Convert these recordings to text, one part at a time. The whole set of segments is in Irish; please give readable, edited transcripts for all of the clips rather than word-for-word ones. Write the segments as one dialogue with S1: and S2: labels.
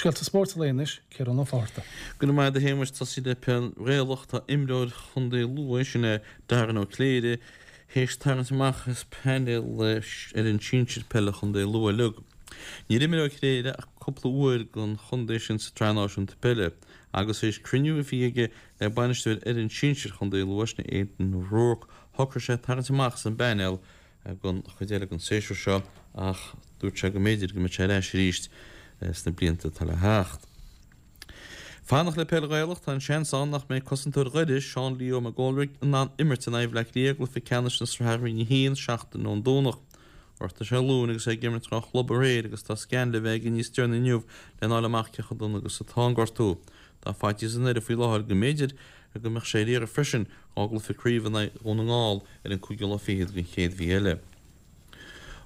S1: Scéalta spóirt an lae anois, Ciarán Ó Fátharta.
S2: Go raibh maith agat a Shéamais, tosaí le peil Ghaelach, tá imreoir Chontae Lú, sin é Darren Ó Cléirigh, théis tarraingt amach as painéal fhoireann sinsir peile Chontae Lú uilig. Níor imir Ó Cléirigh ach cúpla uair don chontae sin sa tSraith Náisiúnta Peile agus théis cruinniú a bhí aige le bainisteoir fhoireann sinsir Chontae Lú, sin é Aidan O'Rourke, shocraigh sé tarraingt amach as an bpainéal don chuid eile den séasúr seo ach dúirt sé go mb'fhéidir go mbeidh sé ar ais arís sna blianta atá le theacht. Fanacht le peil Ghaelach, tá an seans ann nach mbeidh cosantóir Dhoire, Seán Leo McGoldrick, in ann imirt in aghaidh Bhaile Átha Cliath i gcluiche ceannais na Sraithe Roinn 1 seachtain ón Domhnach. Ghortaigh sé a ghlúin agus é ag imirt dhá chlub aréir agus tá scan le bheith aige níos deireanaí inniu lena fháil amach cé chomh dona agus atá an gortú. Tá faitíos i nDoire faoi láthair go mb'fhéidir go mbeadh sé ar iarraidh freisin dhá gcluiche craoibhe in aghaidh Dhún na nGall ar an cúigiú lá fichead den chéad mhí eile.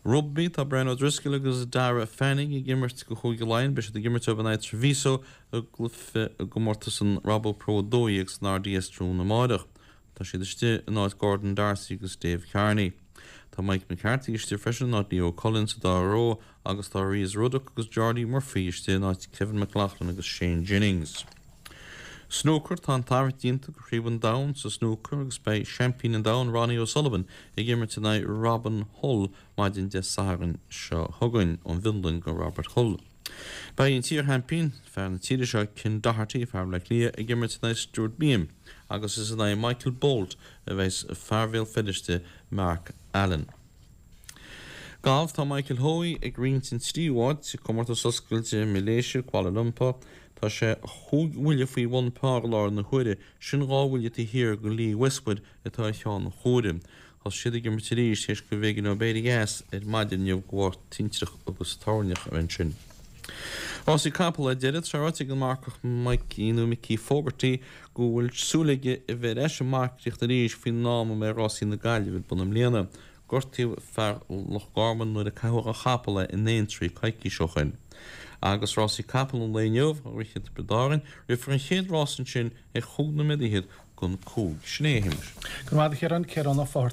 S2: Rugbaí, Tá Brian O'Driscoll agus Darragh Fanning ag imirt do Chúige Laighean. Beidh siad ag imirt dóibh in aghaidh Treviso i gcluiche i gcomórtas an Rabo Pro 12 san RDS tráthnóna amáireach. Tá siad istigh in áit Gordon D'Arcy agus Dave Kearney. Tá Mike McCarthy istigh freisin in áit Leo Cullen sa dara ró agus tá Rhys Ruddock agus Jordi Murphy istigh in áit Kevin McLaughlin agus Shane Jennings. Snúcar, Tá an tarraingt déanta do Chraobh an Domhain sa snúcar agus beidh seaimpín an domhain Ronnie O'Sullivan ag imirt in aghaidh Robin Hull maidin Dé Sathairn seo chugainn, ón bhFionlainn do Robert Hull. Beidh an t-iar-sheaimpín, fear na tíre seo Ken Doherty, fear Bhaile Átha Cliath, ag imirt in aghaidh Stuart Bingham agus is in aghaidh Michael Bolt a bheas fear Bhéal Feirste Mark Allen. Galf, Tá Michael Hoey ag roinnt an tríú háit i gcomórtas oscailte Mhiléise, Kuala Lumpur. Tá sé chúig bhuille faoi bhun par i láthair na huaire, sin dhá bhuille taobh thiar de Lee Westwood atá ar cheann an chomhairimh. Thosaigh siad ag imirt arís théis go mb'éigean dóibh éirí as ar maidin inniu de bharr tintreach agus toirneach a bheith ansin. Rásaí capall ar deireadh, tá sé ráite ag an marcach Mikey nó Mickey Fogarty go bhfuil súil aige a bheith ar ais ag marcaíocht arís faoin am a mbeidh rásaí na Gaillimhe ar bun i mbliana. Gortaíodh fear Loch Garman nuair a caitheadh dá chapall é in Aintree coicís ó shoin. Agus rásaí capall an lae inniu, á rith i dTiobraid Árann, rithfear an chéad rás ansin ar chúig nóiméad fhichead don cúig. Sin é, a Shéamais.
S1: Go raibh maith agat a Chiaráin, Ciarán Ó Fátharta.